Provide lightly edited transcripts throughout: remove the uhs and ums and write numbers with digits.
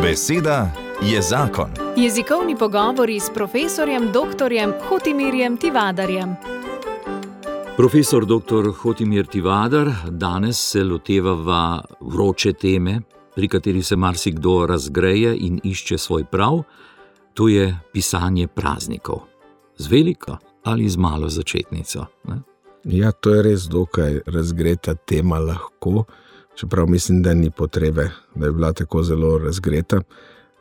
Beseda je zakon. Jezikovni pogovori s profesorjem dr. Hotimirjem Tivadarjem. Profesor dr. Hotimir Tivadar, danes se lotevava vroče teme, pri kateri se marsikdo razgreje in išče svoj prav, to je pisanje praznikov. Z veliko ali z malo začetnico? Ne? Ja, to je res dokaj razgreta tema lahko, čeprav mislim, da ni potrebe, da je bila tako zelo razgreta,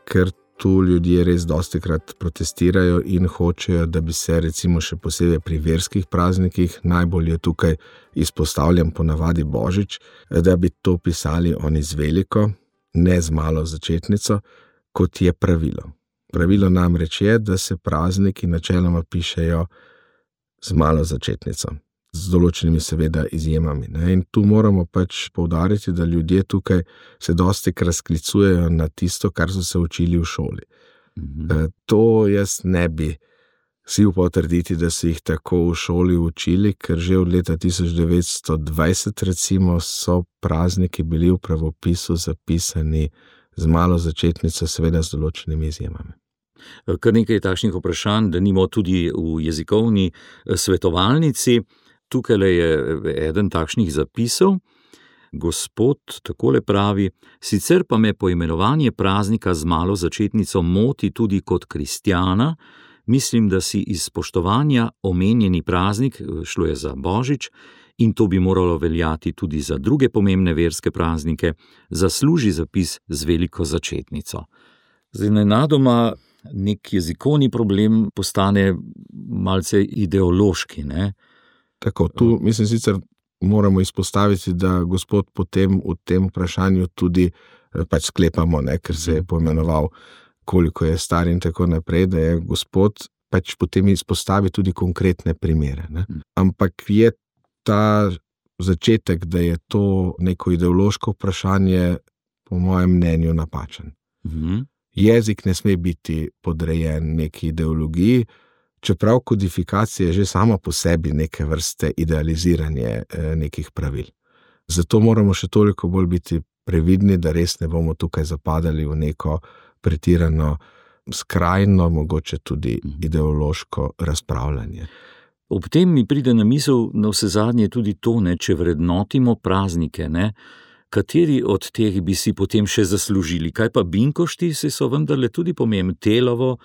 ker tu ljudje res dostikrat protestirajo in hočejo, da bi se recimo še posebej pri verskih praznikih, najbolj je tukaj izpostavljen ponavadi Božič, da bi to pisali oni z veliko, ne z malo začetnico, kot je pravilo. Pravilo namreč je, da se prazniki načeloma pišejo z malo začetnico, z določenimi seveda izjemami. Ne? In tu moramo pač poudariti, da ljudje tukaj se dostikrat sklicujejo na tisto, kar so se učili v šoli. To jaz ne bi si upal trditi, da so jih tako v šoli učili, ker že od leta 1920 recimo so prazniki bili v pravopisu zapisani z malo začetnico, seveda z določenimi izjemami. Kar nekaj takšnih vprašanj, da nimo tudi v jezikovni svetovalnici. Tukaj je eden takšnih zapisov. Gospod takole pravi: sicer pa me poimenovanje praznika z malo začetnico moti tudi kot kristjana. Mislim, da si iz spoštovanja omenjeni praznik, šlo je za Božič, in to bi moralo veljati tudi za druge pomembne verske praznike, zasluži zapis z veliko začetnico. Zdaj nenadoma nek jezikovni problem postane malce ideološki, ne? Tako, tu mislim sicer moramo izpostaviti, da gospod potem v tem vprašanju tudi pač sklepamo, ne, ker se je poimenoval, koliko je star in tako naprej, da je gospod pač potem izpostavi tudi konkretne primere. Ne. Ampak je ta začetek, da je to neko ideološko vprašanje, po mojem mnenju napačen. Jezik ne sme biti podrejen neki ideologiji, čeprav kodifikacija je že sama po sebi neke vrste idealiziranje nekih pravil. Zato moramo še toliko bolj biti previdni, da res ne bomo tukaj zapadali v neko pretirano, skrajno, mogoče tudi ideološko razpravljanje. Ob tem mi pride na misel navsezadnje tudi to, ne, če vrednotimo praznike, ne, kateri od teh bi si potem še zaslužili? Kaj pa binkošti, se so vendarle tudi pomembni, Telovo,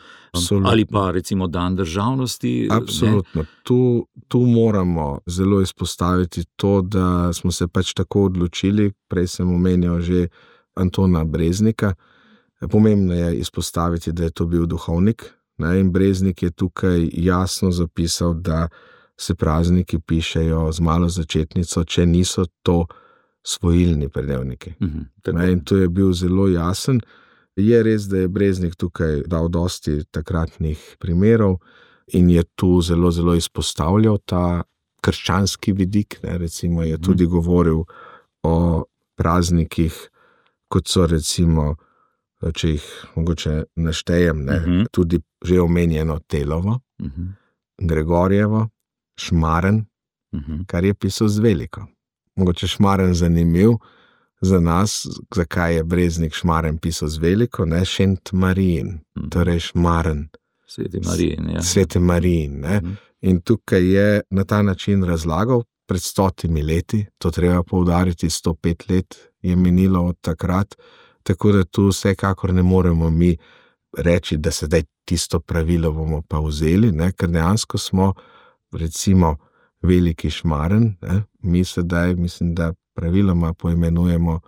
ali pa recimo dan državnosti? Absolutno. Tu moramo zelo izpostaviti to, da smo se pač tako odločili, prej sem omenjal že Antona Breznika. Pomembno je izpostaviti, da je to bil duhovnik, ne, in Breznik je tukaj jasno zapisal, da se prazniki pišejo z malo začetnico, če niso to svojilni pridevniki. In to je bil zelo jasen. Je res, da je Breznik tukaj dal dosti takratnih primerov in je tu zelo, zelo izpostavljal ta krščanski vidik. Ne. Recimo je tudi govoril o praznikih, kot so recimo, če jih mogoče naštejem, ne, tudi že omenjeno Telovo, Gregorjevo, Šmaren, kar je pisal z veliko. Mogoče Šmaren zanimiv za nas, zakaj je Breznik Šmaren pisal z veliko, ne, Šent Marijin, torej Šmaren. Sveti Marijin, ja. Sveti Marijin, ne. In tukaj je na ta način razlagal pred 100 leti, to treba poudariti, 105 let je minilo od takrat, tako da tu vsekakor ne moremo mi reči, da sedaj tisto pravilo bomo pa vzeli, ne, ker dejansko smo recimo veliki Šmaren, ne? Mi sedaj mislim, da praviloma poimenujemo,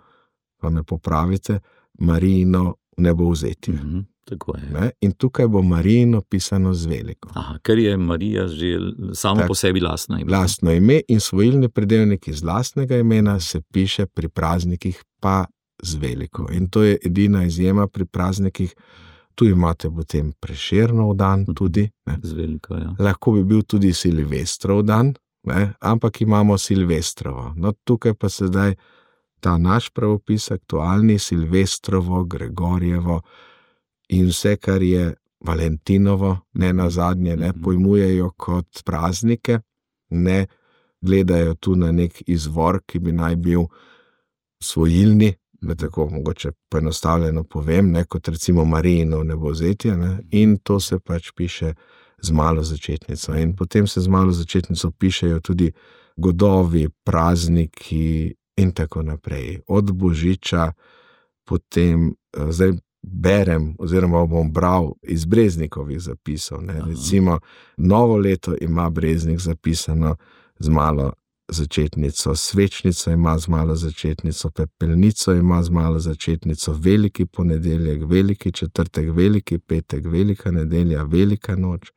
pa me popravite, Marijino nebovzetje. Tako je. Ne? In tukaj bo Marijino pisano z veliko. Aha, ker je Marija že samo po sebi lastno ime. Lastno ime in svojilni pridevnik iz lastnega imena se piše pri praznikih pa z veliko. In to je edina izjema pri praznikih. Tu imate potem Prešernov dan tudi. Ne? Z veliko, ja. Lahko bi bil tudi Silvestrov dan, ne? Ampak imamo Silvestrovo. No, tukaj pa sedaj ta naš pravopis aktualni, Silvestrovo, Gregorjevo in vse, kar je Valentinovo, ne nazadnje, ne pojmujejo kot praznike, ne gledajo tu na nek izvor, ki bi naj bil svojilni, da tako mogoče poenostavljeno povem, ne, kot recimo Marijino Nebovzetje, ne, in to se pač piše z malo začetnico. In potem se z malo začetnico pišejo tudi godovi, prazniki in tako naprej. Od Božiča potem, zdaj berem oziroma bom bral iz Breznikovih zapisov. Ne. Recimo Novo leto ima Breznik zapisano z malo začetnico, svečnico ima z malo začetnico, pepelnico ima z malo začetnico, veliki ponedeljek, veliki četrtek, veliki petek, velika nedelja, velika noč,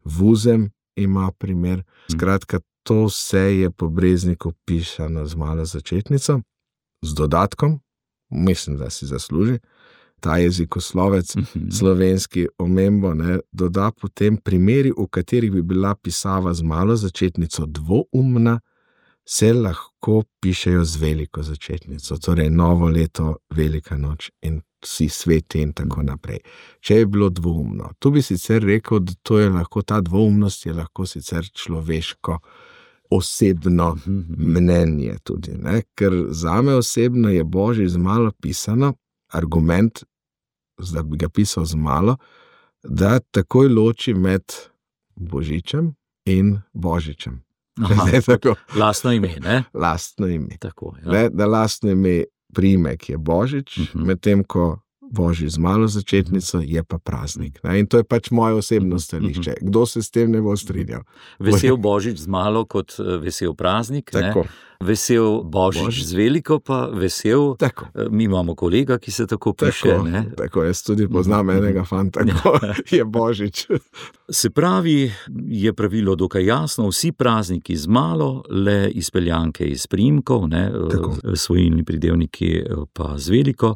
vuzem ima primer. Skratka, to vse je po Brezniku pisano z malo začetnico, z dodatkom, mislim, da si zasluži. Ta jezikoslovec slovenski omembo, ne, doda potem primeri, v katerih bi bila pisava z malo začetnico dvoumna, se lahko pišejo z veliko začetnico, torej Novo leto, velika noč in vsi sveti in tako naprej. Če je bilo dvoumno, tu bi sicer rekel, da to je lahko, ta dvoumnost je lahko sicer človeško osebno mnenje tudi, ne? Ker zame osebno je Božič z malo pisano, argument, da bi ga pisal z malo, da takoj loči med Božičem in Božičem. Lastno ime, ne? Lastno ime. Tako, ja. Ne, da lastno ime priimek je Božič, medtem ko Božič z malo začetnico je pa praznik. Ne? In to je pač moje osebno stališče. Kdo se s tem ne bo strinjal? Vesel Božič z malo kot vesel praznik, tako. Ne? Vesel Božič z veliko pa vesel. Tako. Mi imamo kolega, ki se tako piše. Tako, ne? Tako, jaz tudi poznam enega fanta, ko je Božič. Se pravi, je pravilo dokaj jasno, vsi prazniki z malo, le izpeljanke iz priimkov, ne? Svojilni pridevniki pa z veliko.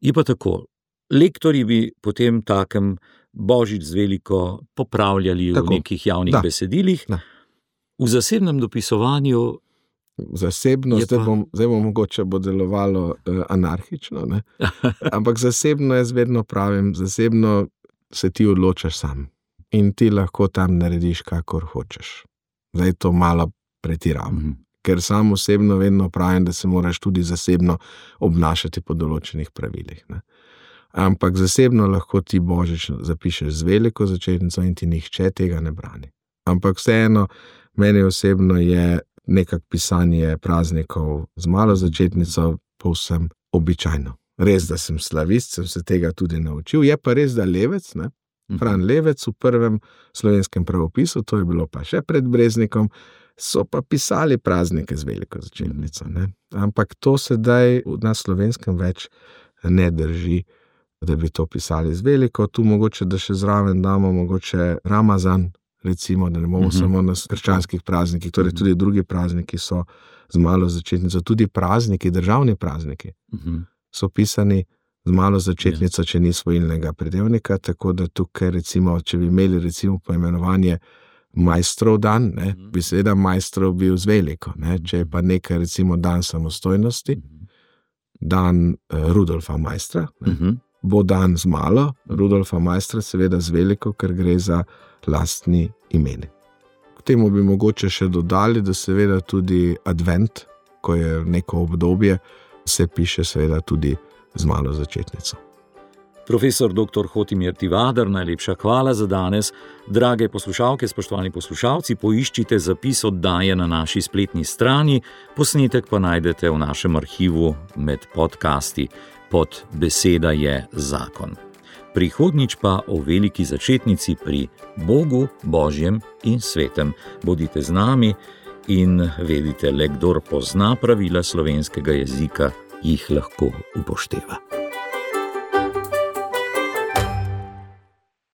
Je pa tako, lektorji bi potem takem Božič z veliko popravljali tako. V nekih javnih besedilih. Da. V zasebnem dopisovanju zasebno, zdaj bom mogoče bo delovalo anarhično, ne? Ampak zasebno jaz vedno pravim, zasebno se ti odločaš sam in ti lahko tam narediš, kakor hočeš. Zdaj to malo pretiravam, ker sam osebno vedno pravim, da se moraš tudi zasebno obnašati po določenih pravilih. Ne? Ampak zasebno lahko ti Božič zapišeš z veliko začetnico in ti nihče tega ne brani. Ampak vseeno, meni osebno je nekak pisanje praznikov z malo začetnico povsem običajno. Res, da sem slavist, sem se tega tudi naučil. Je pa res, da Levec, ne? Fran Levec v prvem slovenskem pravopisu, to je bilo pa še pred Breznikom, so pa pisali praznike z veliko začetnico. Ne? Ampak to sedaj na slovenskem več ne drži, da bi to pisali z veliko. Tu mogoče, da še zraven damo mogoče Ramazan, recimo, da ne bomo samo na krščanskih praznikih, torej tudi drugi prazniki so z malo začetnico, tudi prazniki, državni prazniki, so pisani z malo začetnico, če ni svojilnega pridevnika, tako da tukaj recimo, če bi imeli recimo poimenovanje Majstrov dan, ne, bi seveda Majstrov bil z veliko, ne, če je pa nekaj recimo dan samostojnosti, dan Rudolfa Majstra, ne, bo dan z malo, Rudolfa Majstra seveda z veliko, ker gre za lastni imeni. K temu bi mogoče še dodali, da seveda tudi advent, ko je neko obdobje, se piše seveda tudi z malo začetnico. Profesor dr. Hotimir Tivadar, najlepša hvala za danes. Drage poslušalke, spoštovani poslušalci, poiščite zapis oddaje na naši spletni strani, posnetek pa najdete v našem arhivu med podcasti. Pod Beseda je zakon. Prihodnjič pa o veliki začetnici pri Bogu, Božjem in svetem. Bodite z nami in vedite, le kdor pozna pravila slovenskega jezika, jih lahko upošteva.